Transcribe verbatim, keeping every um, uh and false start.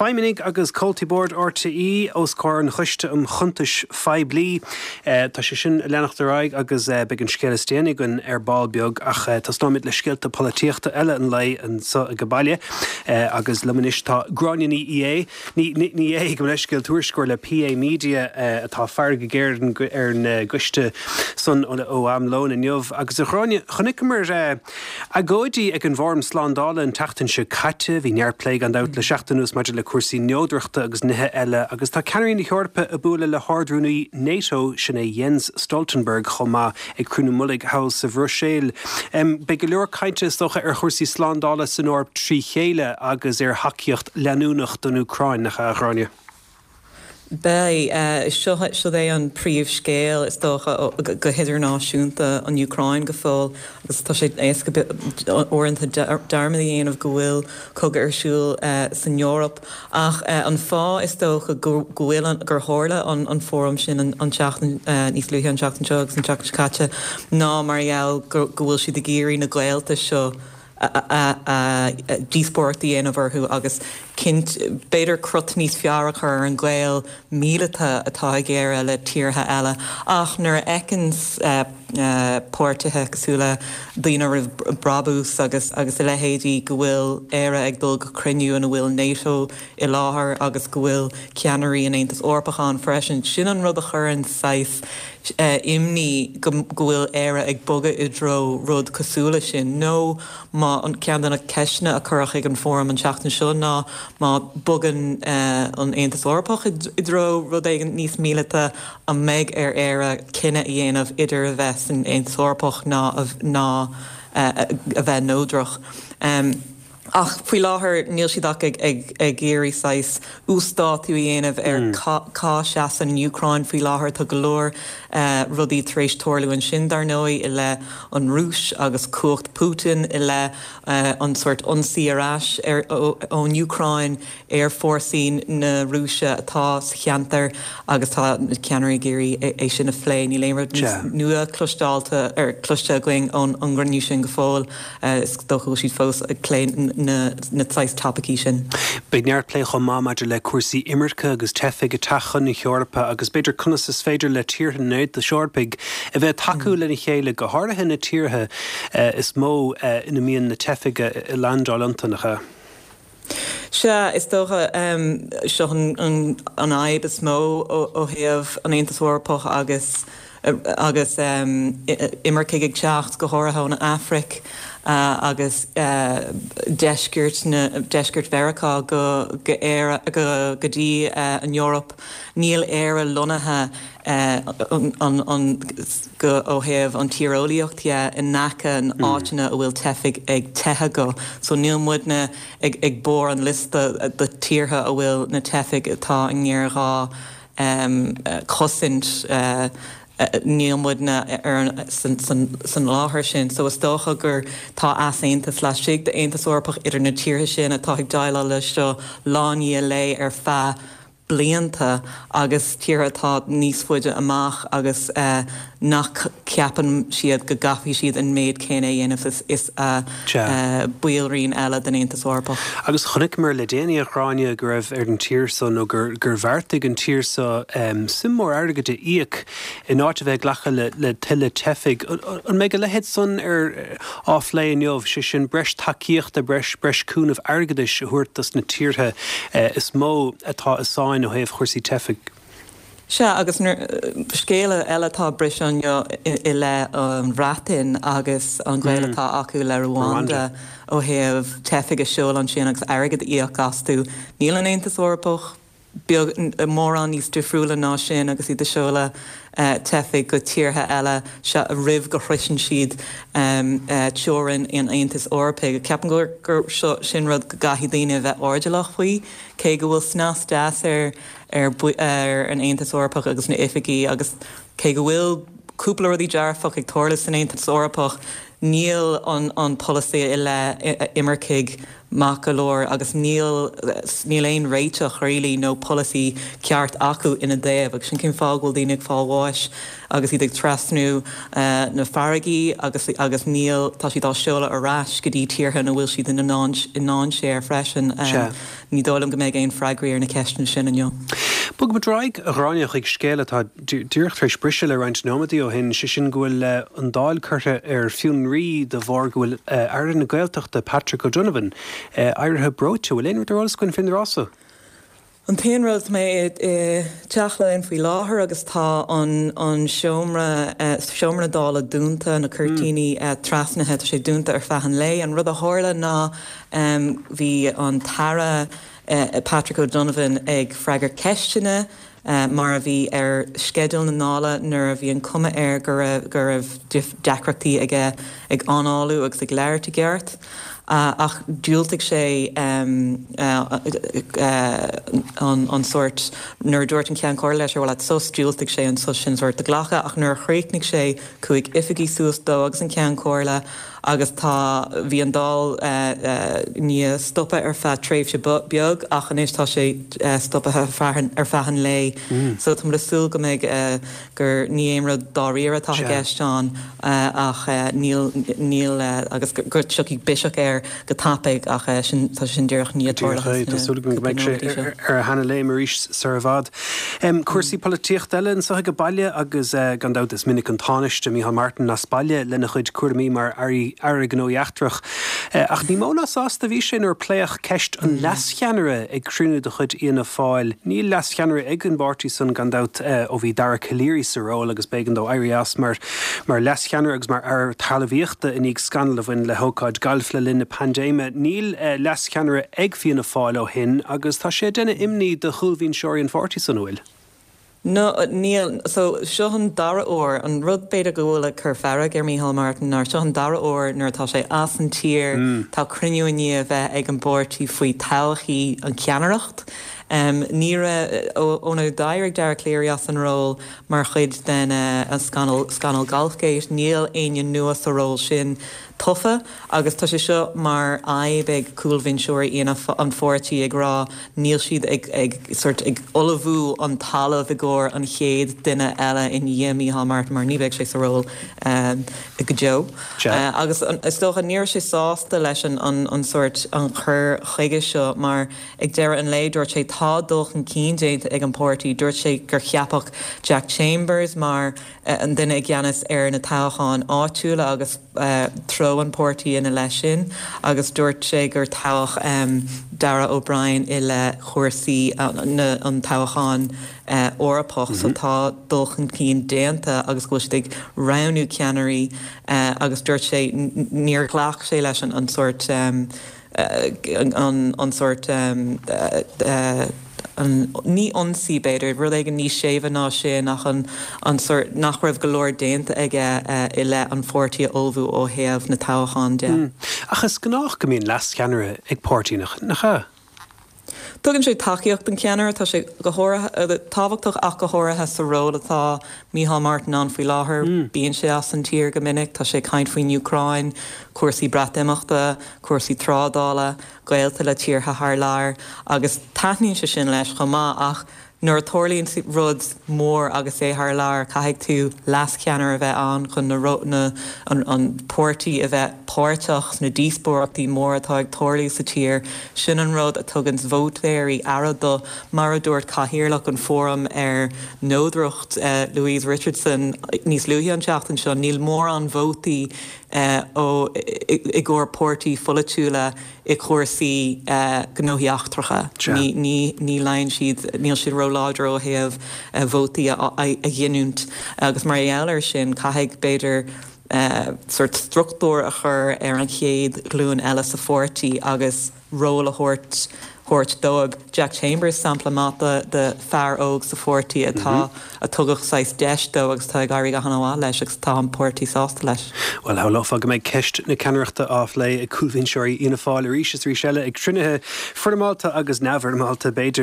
Feidhmeannaigh agus comhaltaí boird R T É os comhair an Choiste um Chuntais Phoiblí. Tá sé sin ag leanacht ar aghaidh agus beidh an scéal is déanaí againn ar ball beag, ach tosnóimid le scéalta polaitíochta eile an lae anseo ag baile, agus liom anois tá Gráinne Ní É ní é go leiscéal, tuairisceoir le P A Media, atá ag faire go géar ar an gcoiste san ó am lóin inniu. Agus a Ghráinne, chonaiceamar agóidí ag an bhFóram Slándála an tseachtain seo caite. Bhí neart plé gan dabht le seachtain anuas maidir le cúrsaí neodrachta agus nithe eile, agus tá ceannairí na hEorpa ag bualadh le hArd-Rúnaí NATO, sin é Jens Stoltenberg, chomh maith ag cruinniú mullaigh thall sa Bhruiséil. Beidh go leor cainte, is dócha, ar chúrsaí slándála san Eoraip trí chéile agus ar thacaíocht leanúnach don Úcráin, nach ea, a Ghráinne? Beidh. Seo seo é an príomhscéal, is dócha, go hidirnáisiúnta, an Úcráin go fóill, agus tá sé éasca uaireanta dearmad a dhéanamh go bhfuil cogadh ar siúl san Eoraip. Ach an fáth, is dócha, go bhfuil gur tharla an an fóram sin an tseachtain níos luaithe an tseachtain seo agus an tseachtain seo caite ná mar gheall go bhfuil siad ag iarraidh na gaolta seo díospóireacht a dhéanamh orthu agus cinnt b'fhéidir crot níos fearr a chur ar an gaol míleata atá ag Éire le tíortha eile. Ach nuair a fheiceann páirtithe cosúil le Daoine Roimh Brabús agus agus a leithéidí go bhfuil Éire ag dul go cruinniú ina bhfuil NATO i láthair agus go bhfuil ceannairí an Aontas Eorpach ann freisin, sin an rud a chuireann saghas imní go bhfuil Éire ag bogadh i dtreo rud cosúil leis sin. Nó má an ceann de na ceisteanna a cuireadh ag an fóram an tseachtain seo ná má bogann an Aontas Eorpach i dtreo rud éigin níos míleata, an mbeidh ar Éire cinneadh a dhéanamh idir a bheith san Aontas Eorpach ná ná a bheith neodrach? Ach faoi láthair níl siad ach ag ag ag iarraidh saghas uasdátú a dhéanamh ar cá seasann an Úcráin faoi láthair. Tá go leor rudaí tar éis tarlú ansin, dar ndóigh, i leith an Rúis agus cumhacht Putin, i leith an sórt ionsaí ar ais ar ón Úcráin ar fórsaí na Rúise atá sa cheantar, agus tá na ceannairí ag iarraidh é sin a phlé. Níl aon rud níos nua cloisteáilte ar cloiste againn ón an gcruinniú sin go fóill. Is dócha go bhfuil siad fós ag plé na na saghas topaicí sin. Beidh neart plé chomh maith maidir le cúrsaí imirce agus teifigh ag teacht chun na hEorpa, agus b'fhéidir conas is féidir le tíortha an Aontais Eorpaigh a bheith tacú lena chéile, go háirithe na tíortha is mó ina mbíonn na teifigh ag landáil iontu, nach ea? Sea, is dócha seo an fhadhb is mó ó thaobh an Aontas Eorpach agus agus imircigh ag teacht, go háirithe ón Afraic agus deisceart na deisceart Mheiriceá go go Éire go go dtí an Eoraip. Níl Éire lonnaithe an an go ó thaobh an tíreolaíocht dhe in aice an áiteanna a bhfuil teifigh ag teitheadh go. So níl muidne ag ag barr an liosta de tíortha a bhfuil na teifigh atá i ngéarghá cosaint, níl muidne ar an san san san láthair sin. So is dócha gur tá easaontas laistigh d'Aontas Eorpach idir na tíortha sin atá ag déileáil leis seo lá i ndiaidh lae ar feadh blianta agus tíortha atá níos faide amach agus nach ceapann siad go gcaithfidh siad an méid céanna a dhéanamh is is a ballraíonn eile den Aontas Eorpach. Agus chonaiceamar le déanaí, a Ghráinne, go raibh ar an tír so nó gur gur bheartaigh an tír so suim mór airgid a íoc in áit a bheith ag glacadh le le tuilleadh teifigh. An mbeidh a leithéid san ar á phlé inniu, sé sin breis tacaíochta, breis breis cúnamh airgeadais a thabhairt dos na tíortha is mó atá i sáinn ó thaobh chúrsaí teifigh? Sea, agus scéal eile atá briseadh inniu i leith an Bhreatain agus an gaol atá acu le Rwanda ó thaobh teifigh a sheoladh ansin agus airgead a íoc astu. Níl an Aontas Eorpach beag mórán níos difriúla ná sin agus iad ag seoladh teifigh go tíortha eile roimh go shroiseann siad teorainn an Aontais Eorpaigh. Ceapaim gur gur seo sin rud go gcaithfidh daoine a bheith airdeallach faoi, cé go bhfuil snas deas ar ar ar an Aontas Eorpach agus na oifigí agus cé go bhfuil cúpla rudaí dearfach ag tarlú san Aontas Eorpach, níl an an polasaí i leith imircigh maith go leor agus níl níl aon réiteach really nó polasaí ceart acu ina dtaobh agus sin cén fáth go bhfuil daoine ag fáil bháis agus iad ag trasnú na farraigí agus agus níl tá siad á seoladh ar ais go dtí tíortha ina bhfuil siad ina i ndainséar freisin. Ní dóigh liom go mbeidh aon freagraí ar na ceisteanna sin inniu. Bogfaimid ar aghaidh, a Ghráinne, chuig scéal atá díreach tar éis briseadh le roinnt nóiméadaí ó shin, sé sin go bhfuil an Dáil curtha ar fionraí de bharr go bhfuil Aire na Gaeltachta Patrick O'Donovan éirithe breoite. Bhfuil aon rud ar eolas againn faoin rása? An t-aon rud mé i Teach Laighean faoi láthair agus tá an an seomra seomra dála dúnta, na cuirtíní trasnaithe, tá sé dúnta ar feadh an lae. An rud a tharla ná bhí an tAire Patrick O'Donovan ag freagairt ceisteanna mar a bhí ar sceideal na nDála nuair a bhí an cuma air go raibh go raibh deacrachtaí aige ag análú agus ag labhairt i gceart. Ach dhiúltaigh sé an an sórt nuair a dúirt an Ceann Comhairle leis ar mhaith leat sos, dhiúltaigh sé an sos sin sórt a ghlacadh ach nuair a chríochnaigh sé chuaigh oifigigh suas dó agus an Ceann Comhairle agus tá bhí an Dáil i ndiaidh stopadh ar feadh tréimhse beag ach anois tá sé stoptha ar feadh an lae so tá muid ag súil go mbeidh gur ní aon rud dáiríre atá i gceist ann ach níl níl agus go dtiocfaidh biseach air go tapaidh ach sin tá sin díreach i ndiaidh tarlú Tá súil agam go mbeidh sé ar a sheana-léim arís sar i bhfad. Cúrsaí polaitíochta eile anseo ag baile agus gan dabht is minic an Tánaiste Micheál Martin as baile lena chuid cúraimí mar Aire Gnóthaí Eachtracha. Ach ní mó ná sásta a bhí sé nuair a pléadh ceist an leascheannaire ag cruinniú de chuid Fhianna Fáil. Níl leascheannaire ag an bpáirtí san gan dabht ó bhí Dara Calleary sa ról agus b'éigean dó éirí as mar mar leascheannaire agus mar aire talmhaíochta i ndiaidh scannal a bhain le hócáid gailf le linn na paindéime. Níl leascheannaire ag Fianna Fáil ó shin agus tá sé ag déanamh imní do chúlbhinseoirí an pháirtí san bhfuil. No, níl so seo an dara huair an rud b'fhéidir go bhfuil ag cur fearg ar Micheál Martin ná seo an dara huair nuair atá sé as an tír mm. tá cruinniú i ndiaidh a bheith ag an bpáirtí faoi todhchaí an cheannaireacht. Um, ní óna d'éirigh Dara Calleary as an ról mar chuid den uh, an scannal scannal Golfgate níl éinne nua sa ról sin tofa agus tá sé seo mar fhadhb ag cúlbhinseoirí an pháirtí ag rá níl siad ag, ag, sort, ag ullmhú an talamh i gcomhair an chéad duine eile i ndiaidh Micheál Martin mar ní bheidh sé sa ról um, go deo. Uh, agus is dócha ní raibh sé sásta leis an, an, an sort an chur chuige seo mar ag deireadh an lae dúirt sé tá dul chun cinn déanta ag an páirtí dúirt sé gur ceapadh Jack Chambers mar uh, an duine i gceannas ar na toghcháin áitiúla agus uh, treo an pháirtí ina leith sin agus dúirt sé gur toghadh um, Darragh O'Brien i leith chúrsaí uh, an toghchán uh, Eorpach mm -hmm. so tá dul chun cinn déanta agus go bhfuil siad ag roghnú ceannairí uh, agus dúirt sé níor ghlac sé leis an an sort um, uh, an, an sort um, uh, uh, an ní ionsaí b'fhéidir rud éigin níos séimhe ná sin nach an an sort nach raibh go leor déanta aige uh, i leith an pháirtí a ullmhú ó thaobh na toghchán de. Mm. Ach is gnách go mbíonn leascheannaire ag páirtí nach ea? Tugann sé tacaíocht don cheannaire tá sé go tábhachtach ach go háirithe sa ról atá Micheál Martin ann faoi láthair mm. bíonn sé as an tír go minic, tá sé ag caint faoin Úcráin, cúrsaí Breatimeachta, cúrsaí trádála, gaolta le tíortha thar lear, agus taitníonn sé sin leis chomh maith ach nuair a tarlaíonn rud mór agus é thar lear caithfidh tú leascheannaire a bheith ann chun na na an, an páirtí a bheith páirteach sna díospóireachtaí mór atá ag tarlú sa tír sin an rud a tugann vótóirí aire do mar a dúirt cathaoirleach an fóram ar neodracht uh, Louise Richardson níos luaithe an tseachtain seo níl mórán vótaí uh, ó i gcomhair páirtí pholaitiúla i cúrsaí uh, gnóthaí eachtracha. Ní, ní, ní lein siad níl siad róláidir ó thaobh uh, vótaí a, a, a ghiniúint agus mar gheall air sin caithfidh b'fhéidir uh, sort struchtúr a chur ar an chéad ghlúin eile sa pháirtí agus ról a thabhairt thabhairt dóibh Jack Chambers sampla maith de, de fear óg sa pháirtí atá mm -hmm. a tugadh saghas deis dó agus tá ag éirí go han-mhaith leis agus tá an páirtí sásta leis. Well shamhlófá go mbeidh ceist na ceannaireachta á phlé ag cúlbhinseoirí Fhianna Fáil arís is arís eile ag cruinnithe foirmeálta agus neamhfhoirmeálta b'fhéidir.